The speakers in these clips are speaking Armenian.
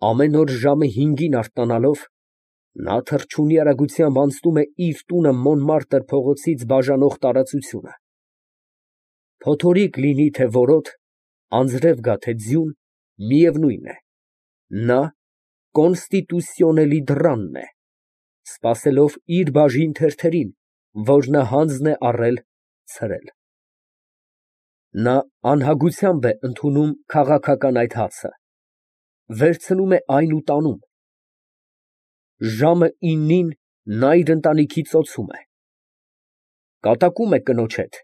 Ամեն օր ժամը 5-ին արթնանալով, նա թռչունի արագությամբ անցնում է իր տունը Մոնմարտր փողոցից բաժանող տարածությունը. փոթորիկ լինի, թե որոտ, անձրև գա, թե ձյուն, միևնույն է, նա կոնստիտուսիոնելի դռանն է, սպասելով իր բաժին թերթերին, որ նա հանձն է առել ցրել։ Նա անհագությամբ է ընդունում քաղաքական այդ հացը, վերցնում է այն ու տանում։ Ժամը 9-ին նա իր ընտանիքի ծոցում է, կատակում է կնոջ հետ,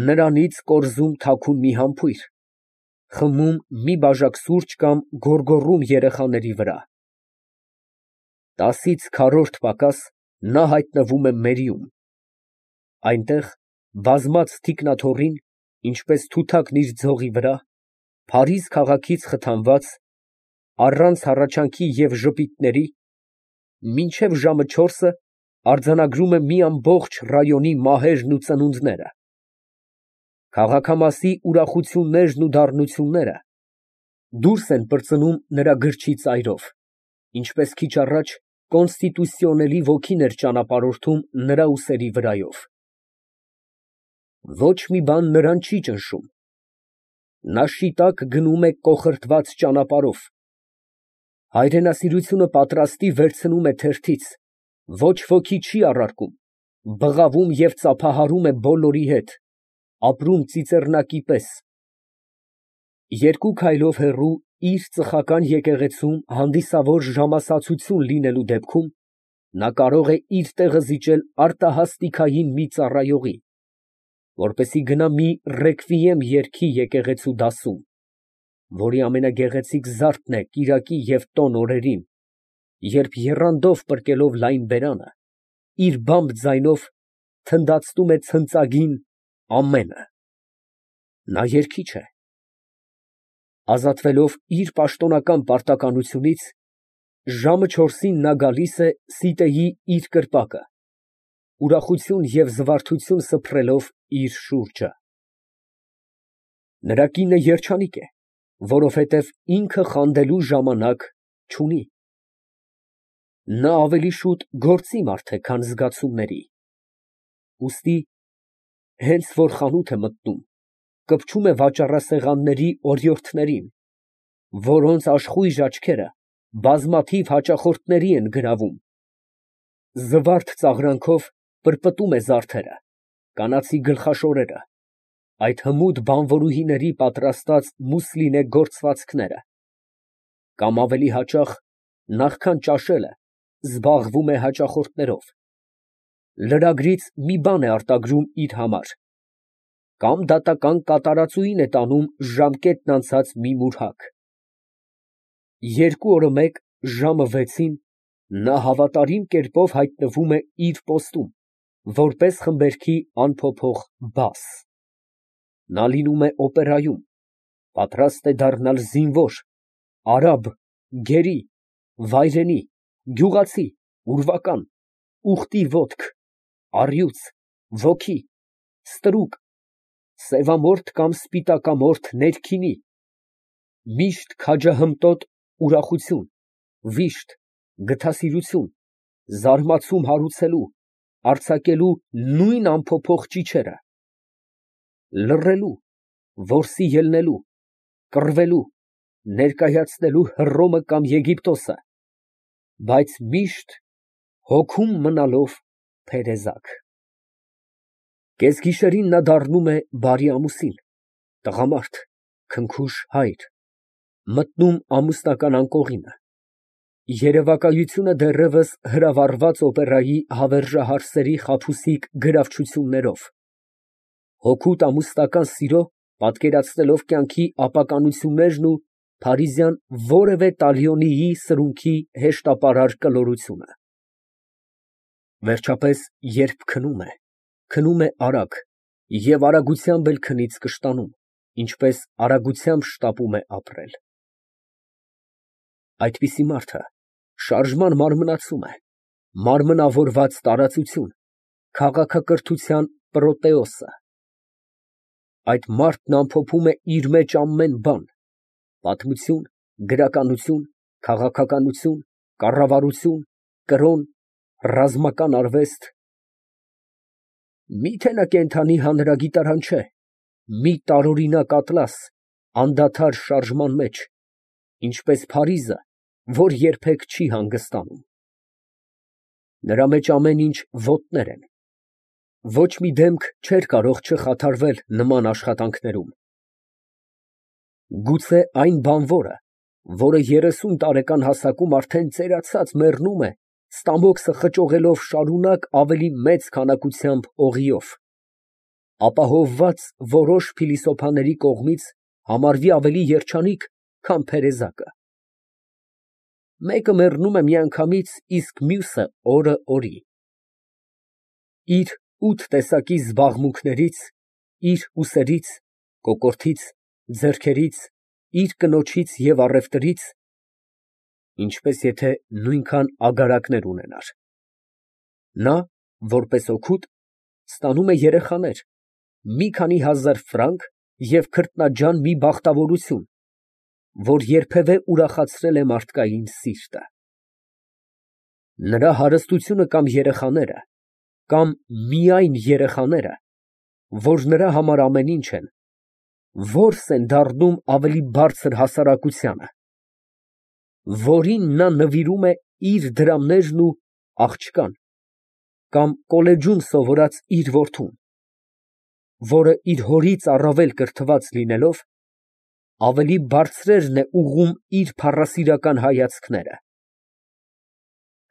նրանից կորզում թաքուն մի համբույր, խմում մի բաժակ սուրճ կամ գոռգոռում երեխաների վրա։ 10-ից քառորդ պակաս նա հայտնվում է մերիում, այնտեղ բազմած թիկնաթոռին, ինչպես թութակն իր ձողի վրա, Փարիզ քաղաքից խթանված, առանց հառաչանքի և ժպիտների, մինչև ժամը 4-ը արձանագրում է մի ամբողջ ռայոնի մահերն ու ծնունդները, քաղաքամասի ուրախություններն ու դառնությունները դուրս են պրծնում նրա գրչի ծայրով, ինչպես քիչ առաջ կոնստիտուսիոնելի ոգին էր ճանապարհորդում նրա ուսերի վրայով։ Ոչ մի բան նրան չի ճնշում, նա շիտակ գնում է կոխրտված ճանապարհով, հայրենասիրությունը պատրաստի վերցնում է թերթից, ոչ ոքի չի առարկում, բղավում և ծափահարում է բոլորի հետ, ապրում ծիծեռնակի պես։ 2 քայլով հեռու իր ծխական եկեղեցում հանդիսավոր ժամասացություն լինելու դեպքում նա կարող է իր տեղը զիջել արտահասթիկային մի ծառայողի, որպեսզի գնա մի ռեքվիեմ երգի եկեղեցու դասում, որի ամենագեղեցիկ զարդն է կիրակի և տոն օրերին, երբ եռանդով պրկելով լայն բերանը, իր բամբ ձայնով թնդացնում է ցնծագին ամենը։ Նա երգիչ է։ Ազատվելով իր պաշտոնական պարտականությունից, ժամը 4-ին նա գալիս է սիտեի իր կրպակը, ուրախություն և զվարթություն սփռելով իր շուրջը։ Նրա կինը երջանիկ է, որովհետև ինքը խանդելու ժամանակ չունի։ Նա ավելի շուտ գործի մարդ է, քան զգացումների, ուստի հենց որ խանութ է մտնում, կպչում է վաճառասեղանների օրիորդներին, որոնց աշխույժ աչքերը բազմաթիվ հաճախորդների են գրավում, զվարթ ծաղրանքով պրպտում է զարդերը, կանացի գլխաշորերը, այդ հմուտ բանվորուհիների պատրաստած մուսլինե գործվածքները, կամ ավելի հաճախ, նախքան ճաշելը, զբաղվում է հաճախորդներով, լրագրից մի բան է արտագրում իր համար, կամ դատական կատարածուին է տանում ժամկետն անցած մի մուրհակ։ 2 օրը մեկ ժամը 6-ին նա հավատարիմ կերպով հայտնվում է իր պոստում, որպես խմբերգի անփոփոխ բաս։ Նա լինում է օպերայում, պատրաստ է դառնալ զինվոր, արաբ, գերի, վայրենի, գյուղացի, ուրվական, ուխտի ոտք, առյուծ, ոգի, ստրուկ, սևամորթ կամ սպիտակամորթ ներքինի, միշտ քաջահմտոտ ուրախություն, վիշտ, գթասիրություն, զարմացում հարուցելու, արձակելու նույն անփոփոխ ճիչերը, լռելու, որսի ելնելու, կռվելու, ներկայացնելու Հռոմը կամ Եգիպտոսը, բայց միշտ հոգում մնալով փերեզակ։ Կեսգիշերին նա դառնում է բարի ամուսին, տղամարդ, քնքուշ հայր, մտնում ամուսնական անկողինը, երևակայությունը դեռևս հրավառված օպերայի հավերժահարսերի խաբուսիկ գրավչություններով, հօգուտ ամուսնական սիրո պատկերացնելով կյանքի ապականություններն ու փարիզյան որևէ տալիոնիի սրունքի հեշտապարար կլորությունը։ Վերջապես, երբ քնում է արագ և արագությամբ էլ քնից կշտանում, ինչպես արագությամբ շտապում է ապրել։ Այդպիսի մարդը շարժման մարմնացում է, մարմնավորված տարածություն, քաղաքակրթության պրոտեոսը։ Այդ մարդն ամփոփում է իր մեջ ամեն բան, պատմություն, գրականություն, քաղաքականություն, կառավարություն, կրոն, ռազմական արվեստ։ Միթե նա կենդանի հանրագիտարան չէ, մի տարօրինակ ատլաս, անդադար շարժման մեջ, ինչպես Փարիզը, որ երբեք չի հանգստանում։ Նրա մեջ ամեն ինչ ոտներ են։ Ոչ մի դեմք չէր կարող չխաթարվել նման աշխատանքներում։ Գուցե այն բանվորը, որը 30 տարեկան հասակում արդեն ծերացած մեռնում է, ստամոքսը խճողելով շարունակ ավելի մեծ քանակությամբ օղիով, ապահովված որոշ փիլիսոփաների կողմից համարվի ավելի երջանիկ, քան փերեզակը։ Մեկը մեռնում է միանգամից, իսկ մյուսը օրը օրի։ Իր 8 տեսակի զբաղմունքներից, իր ուսերից, կոկորդից, ձեռքերից, իր կնոջից և առևտրից, ինչպես եթե նույնքան ագարակներ ունենար։ Նա, որպես օգուտ, ստանում է երեխաներ, մի քանի հազար ֆրանկ և քրտնաջան մի բախտավորություն, որ երբևէ ուրախացրել է մարդկային սիրտը։ Նրա հարստությունը կամ երեխաները, կամ միայն երեխաները, որ նրա համար ամեն ինչ են, որս են դառնում ավելի բարձր հասարակությանը, որին նա նվիրում է իր դրամներն ու աղջկան, կամ կոլեջում սովորած իր որդուն, որը իր հորից առավել կրթված լինելով, ավելի բարձրերն է ուղղում իր փառասիրական հայացքները։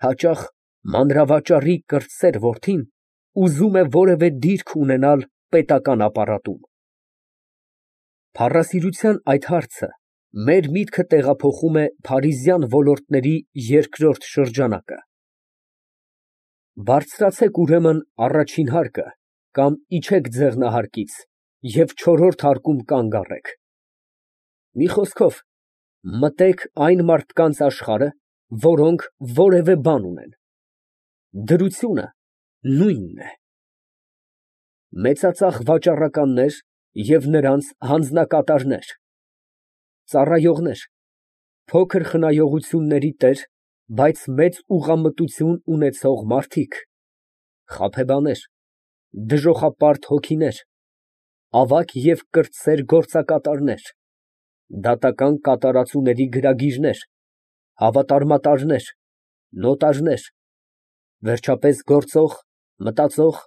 Հաճախ մանրավաճառի կրտսեր որդին ուզում է որևէ դիրք ունենալ պետական ապարատում։ Փառասիրության այդ հարցը մեր միտքը տեղափոխում է փարիզյան ոլորտների երկրորդ շրջանակը։ Բարձրացեք ուրեմն առաջին հարկը կամ իջեք ձեղնահարկից և չորրորդ հարկում կանգ առեք։ Մի խոսքով, մտեք այն մարդկանց աշխարհը, որոնք որևէ բան ունեն։ Դրությունը նույնն է։ Մեծածախ վաճառականներ և նրանց հանձնակատարներ, ծառայողներ, փոքր խնայողությունների տեր, բայց մեծ ուղղամտություն ունեցող մարդիկ, խաբեբաներ, դժոխապարտ հոգիներ, ավագ և կրտսեր գործակատարներ, դատական կատարածուների գրագիրներ, հավատարմատարներ, նոտարներ, վերջապես գործող, մտածող,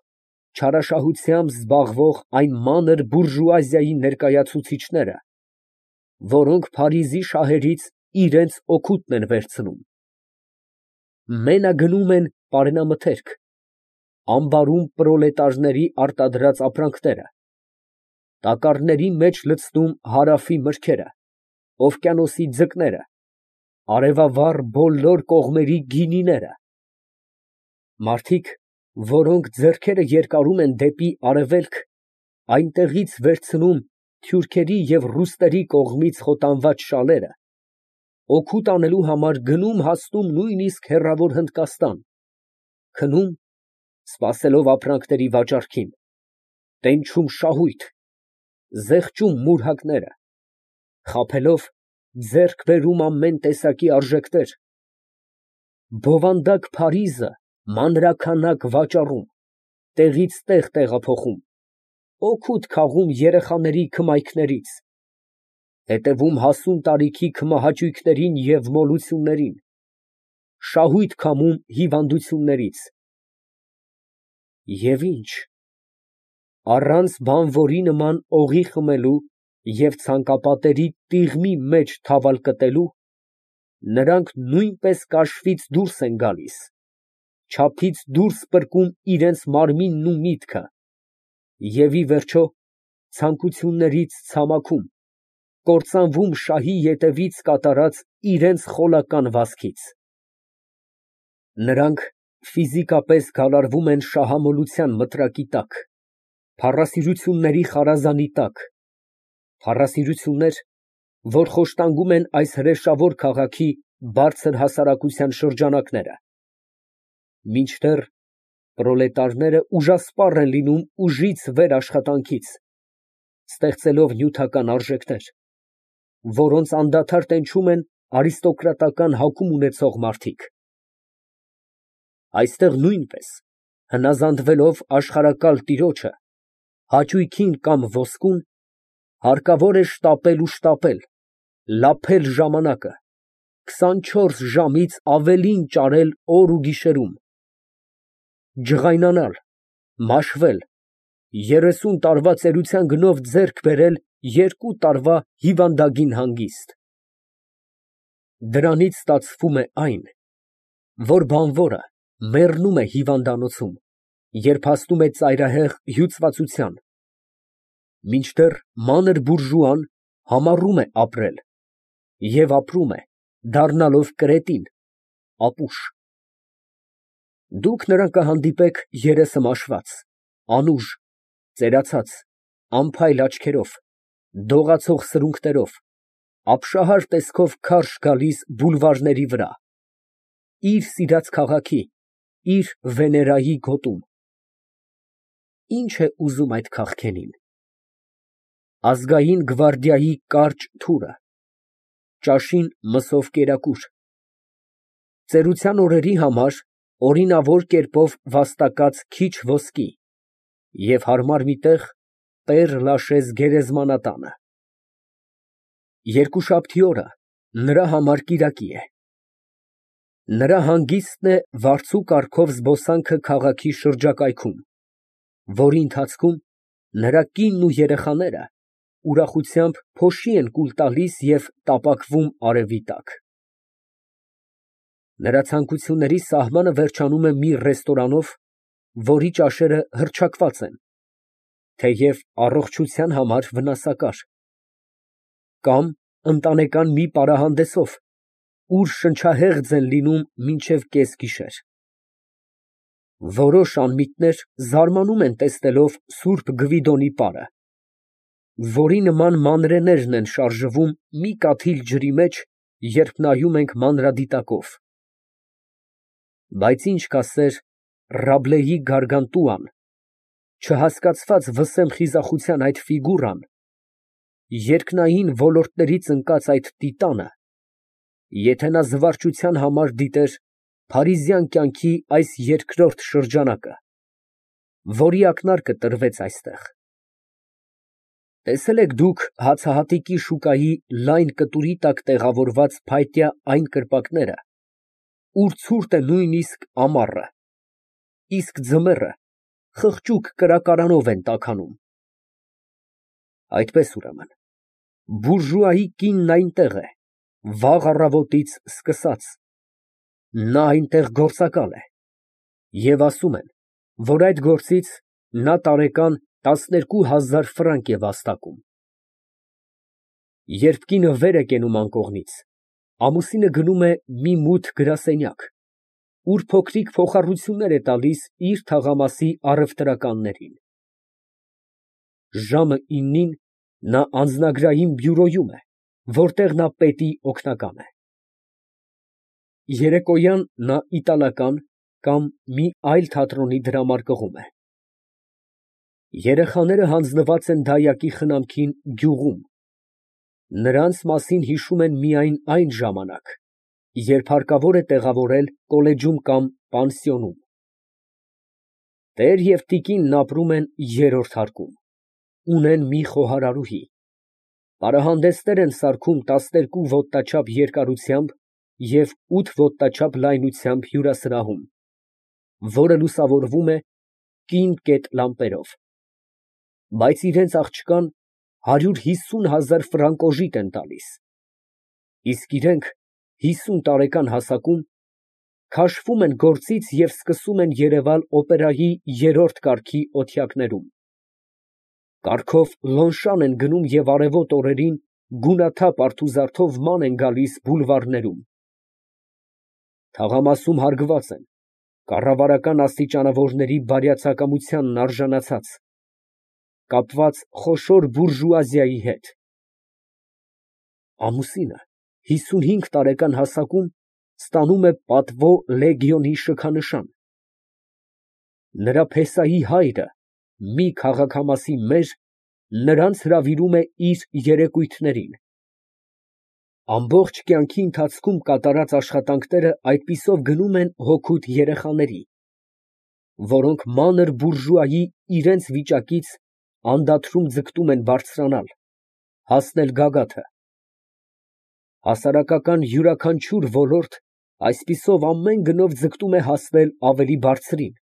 չարաշահությամբ զբաղվող այն մանր բուրժուազիայի ներկայացուցիչները, որոնք Փարիզի շահերից իրենց օգուտն են վերցնում, մենագնում են պարենամթերք, ամբարում պրոլետարների արտադրած ապրանքները, տակառների մեջ լցնում հարավի մրգերը, օվկիանոսի ձկները, արևավառ բոլոր կողմերի գինիները, մարդիկ, որոնք ձեռքերը երկարում են դեպի արևելք, այնտեղից վերցնում թուրքերի և ռուսների կողմից խոտանված շալերը, օգուտ անելու համար գնում֊հասնում նույնիսկ հեռավոր Հնդկաստան, քնում, սպասելով ապրանքների վաճառքին, տենչում շահույթ, զեղչում մուրհակները, խաբելով, ձեռք բերում ամեն տեսակի արժեքներ, բովանդակ Փարիզը մանրաքանակ վաճառում, տեղից տեղ տեղափոխում, օգուտ քաղում երեխաների քմայքներից, հետևում հասուն տարիքի քմահաճույքներին և մոլություններին, շահույթ քամում հիվանդություններից։ Եվ ի՞նչ, առանց բանվորի նման օղի խմելու և ցանկապատերի տիղմի մեջ թավալ կտելու, նրանք նույնպես կաշվից դուրս են գալիս, չափից դուրս պրկում իրենց մարմինն ու միտքը և, ի վերջո, ցանկություններից ցամաքում, կործանվում շահի ետևից կատարած իրենց խոլական վազքից։ Նրանք ֆիզիկապես գալարվում են շահամոլության մտրակի տակ, փառասիրությունների խարազանի տակ, փառասիրություններ, որ խոշտանգում են այս հրեշավոր քաղաքի բարձր հասարակության շրջանակները, մինչդեռ պրոլետարները ուժասպառ են լինում ուժից վեր աշխատանքից, ստեղծելով նյութական արժեքներ, որոնց անդադար տենչում են արիստոկրատական հագում ունեցող մարդիկ։ Այստեղ նույնպես, հնազանդվելով աշխարհակալ տիրոջը, հաճույքին կամ ոսկուն, հարկավոր է շտապել ու շտապել, լափել ժամանակը, 24 ժամից ավելին ճարել օր ու գիշերում, ջղայնանալ, մաշվել, 30 տարվա ծերության գնով ձեռք բերել 2 տարվա հիվանդագին հանգիստ։ Դրանից ստացվում է այն, որ բանվորը մեռնում է հիվանդանոցում, երբ հասնում է ծայրահեղ հյուծվածության, մինչդեռ մանր բուրժուան համառում է ապրել և ապրում է, դառնալով կրետին, ապուշ։ Դուք նրան կհանդիպեք երեսը մաշված, անուժ, ծերացած, անփայլ աչքերով, դողացող սրունքներով, ապշահար տեսքով քարշ գալիս բուլվարների վրա, իր սիրած քաղաքի, իր Վեներայի գոտում։ Ի՞նչ է ուզում այդ քաղքենին։ Ազգային գվարդիայի կարճ թուրը, ճաշին մսով կերակուր, ծերության օրերի համար օրինավոր կերպով վաստակած քիչ ոսկի և հարմար մի տեղ Պեր Լաշեզ գերեզմանատանը։ Երկուշաբթի օրը նրա համար կիրակի է։ Նրա հանգիստն է վարձու կարգով զբոսանքը քաղաքի շրջակայքում, որի ընթացքում նրա կինն ու երեխաները ուրախությամբ փոշի են կուլ տալիս և տապակվում արևի տակ։ Նրա ցանկությունների սահմանը վերջանում է մի ռեստորանով, որի ճաշերը հռչակված են, թեև առողջության համար վնասակար, կամ ընտանեկան մի պարահանդեսով, ուր շնչահեղձ են լինում մինչև կեսգիշեր։ Որոշ անմիտներ զարմանում են տեսնելով սուրբ Գվիդոնի պարը, որի նման մանրէներն են շարժվում մի կաթիլ ջրի մեջ, երբ նայում ենք մանրադիտակով։ Բայց ինչ կասեր Ռաբլեի Գարգանտուան, չհասկացված վսեմ խիզախության այդ ֆիգուրան, երկնային ոլորտներից ընկած այդ տիտանը, եթե նա զվարճության համար դիտեր փարիզյան կյանքի այս երկրորդ շրջանակը, որի ակնարկը տրվեց այստեղ։ Տեսե՞լ եք դուք հացահատիկի շուկայի լայն կտուրի տակ տեղավորված փայտյա այն կրպակները, ուր ցուրտ է նույնիսկ ամառը, իսկ ձմեռը խղճուկ կրակարանով են տաքանում։ Այդպես ուրեմն, բուրժուայի կինն այնտեղ է, վաղ առավոտից սկսած, նա այնտեղ գործակալ է, և ասում են, որ այդ գործից նա տարեկան 12,000 ֆրանկ է վաստակում։ Երբ կինը վեր է կենում անկողնից, ամուսինը գնում է մի մութ գրասենյակ, ուր փոքրիկ փոխառություններ է տալիս իր թաղամասի առևտրականներին։ Ժամը 9-ին նա անձնագրային բյուրոյում է, որտեղ նա պետի օգնական է։ Երեկոյան նա իտալական կամ մի այլ թատրոնի դրամարկղում է։ Երեխաները հանձնված են դիակի խնամքին գյուղում, նրանց մասին հիշում են միայն այն ժամանակ, երբ հարկավոր է տեղավորել կոլեջում կամ պանսիոնում։ Տեր և տիկինն ապրում են երրորդ հարկում, ունեն մի խոհարարուհի, պարահանդեսներ են սարքում 12 ոտնաչափ երկարությամբ և 8 ոտնաչափ լայնությամբ հյուրասրահում, որը լուսավորվում է կին կետ լամպերով, բայց իրենց աղջկան 150,000 ֆրանկ օժիտ են տալիս, իսկ իրենք 50 տարեկան հասակում քաշվում են գործից և սկսում են երևալ օպերայի երրորդ կարգի օթյակներում, կառքով Լոնշան են գնում և արևոտ օրերին գունաթափ արթուզարդով ման են գալիս բուլվարներում։ Թաղամասում հարգված են, կառավարական աստիճանավորների բարյացակամությանն արժանացած, կապված խոշոր բուրժուազիայի հետ։ Ամուսինը 55 տարեկան հասակում ստանում է պատվո լեգիոնի շքանշան։ Նրա փեսայի հայրը, մի քաղաքամասի մեր, նրանց հրավիրում է իր երեկույթներին։ Ամբողջ կյանքի ընթացքում կատարած աշխատանքները այդպիսով գնում են հոգուտ երեխաների, որոնք մանր բուրժուայի իրենց վիճակից անդադրում ձգտում են բարձրանալ, հասնել գագաթը։ Հասարակական յուրաքանչյուր ոլորտ այսպիսով ամեն գնով ձգտում է հասնել ավելի բարձրին։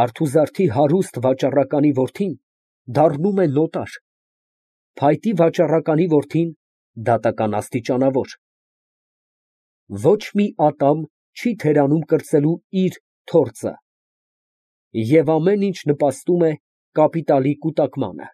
Արթուզարդի հարուստ վաճառականի որդին դառնում է նոտար, փայտի վաճառականի որդին դատական աստիճանավոր։ Ոչ մի ատամ չի թերանում կրծելու իր թործը, և ամեն ինչ նպաստում է կապիտալի կուտակմանը։